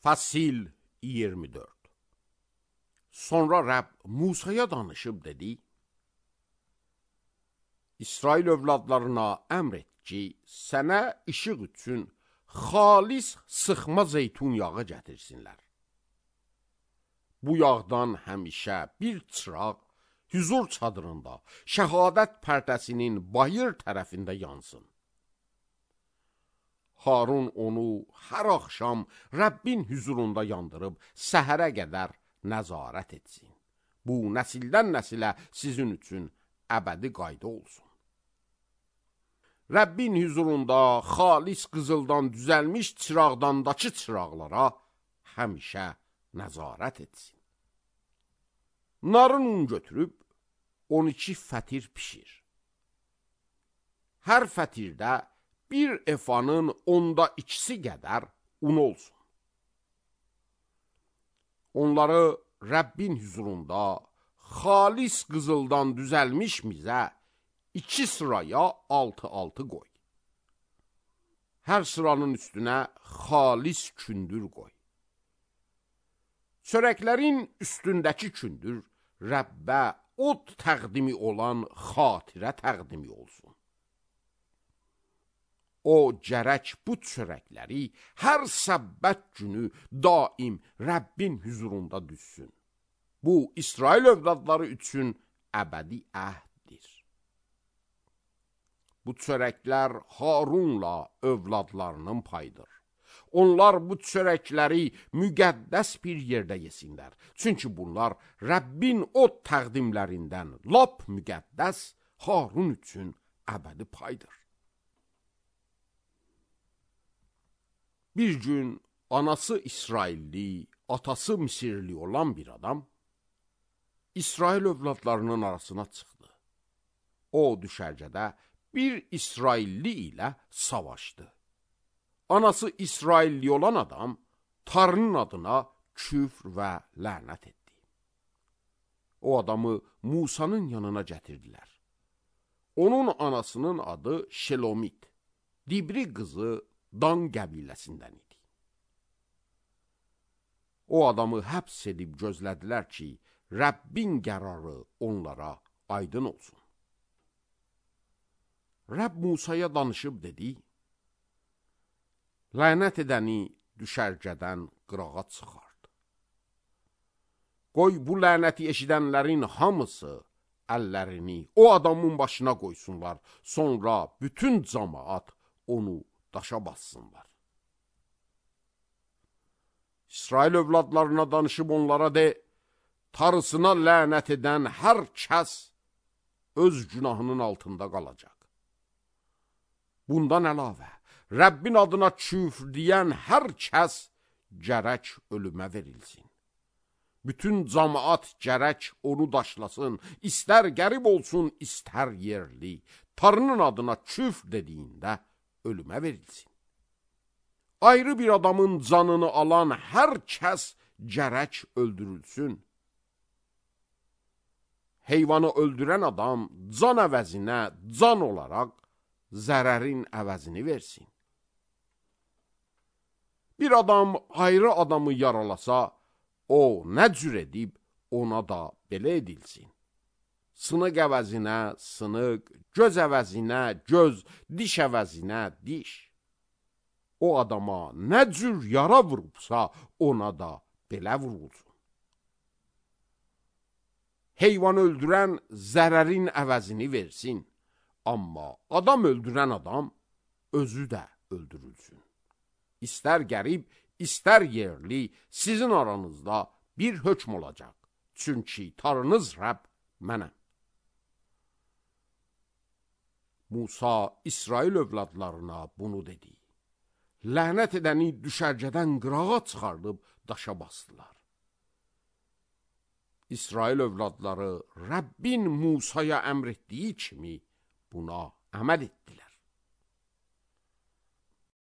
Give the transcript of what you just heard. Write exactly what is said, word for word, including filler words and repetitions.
Fəsil iyirmi dörd. Sonra Rəbb Musaya danışıb dedi: İsrail övladlarına əmr et ki, sənə işıq üçün xalis sıxma zeytun yağı gətirsinlər. Bu yağdan həmişə bir çıraq hüzur çadırında şəhadət pərdəsinin bayır tərəfində yansın. Harun onu hər axşam Rəbbin hüzurunda yandırıb səhərə qədər nəzarət etsin. Bu nəsildən nəsilə sizin üçün əbədi qayda olsun. Rəbbin hüzurunda xalis qızıldan düzəlmiş çıraqdandakı çıraqlara həmişə nəzarət etsin. Narın un götürüb on iki fətir pişir. Hər fətirdə bir efanın onda ikisi qədər un olsun. Onları Rəbbin hüzurunda xalis qızıldan düzəlmiş mizə iki sıraya altı altı qoy. Hər sıranın üstünə xalis kündür qoy. Çörəklərin üstündəki kündür Rəbbə od təqdimi olan xatirə təqdimi olsun. O gərək bu çörəkləri hər səbbət günü daim Rəbbin hüzurunda düşsün. Bu, İsrail övladları üçün əbədi əhddir. Bu çörəklər Harunla övladlarının payıdır. Onlar bu çörəkləri müqəddəs bir yerdə yesinlər. Çünki bunlar Rəbbin od təqdimlərindən lap müqəddəs, Harun üçün əbədi paydır. Bir gün anası İsrailli, atası Misirli olan bir adam İsrail övladlarının arasına çıxdı. O düşərgədə bir İsrailli ilə savaşdı. Anası İsrailli olan adam Tanrının adına küfr və lənət etdi. O adamı Musanın yanına gətirdilər. Onun anasının adı Şelomit, Dibri qızı Dan qəbiləsindən idi. O adamı həbs edib gözlədilər ki, Rəbbin qərarı onlara aydın olsun. Rəbb Musaya danışıb dedi: Lənət edəni düşərgədən qırağa çıxart. Qoy bu lənəti eşidənlərin hamısı əllərini o adamın başına qoysunlar, sonra bütün cəmaət onu daşa bassınlar. İsrail övladlarına danışıb onlara de: Tarısına lənət edən hər kəs öz günahının altında qalacaq. Bundan əlavə, Rəbbin adına küfr deyən hər kəs gərək ölümə verilsin. Bütün cəmaət gərək onu daşlasın, istər qərib olsun, istər yerli. Tanrının adına küfr dediyində ölümə verilsin. Ayrı bir adamın canını alan hər kəs gərək öldürülsün. Heyvanı öldürən adam can əvəzinə can olaraq zərərin əvəzini versin. Bir adam ayrı adamı yaralasa, o nə cür edib ona da belə edilsin. Sınıq əvəzinə sınıq, göz əvəzinə göz, diş əvəzinə diş. O adama nə cür yara vurubsa, ona da belə vurulsun. Heyvan öldürən zərərin əvəzini versin. Amma adam öldürən adam özü də öldürülsün. İstər qərib, istər yerli, sizin aranızda bir hökm olacaq. Çünki Tanrınız Rəbb mənəm. Musa İsrail övladlarına bunu dedi. Lənət edəni düşərgədən qırağa çıxardıb daşa basdılar. İsrail övladları Rəbbin Musaya əmr etdiyi kimi buna əməl etdilər.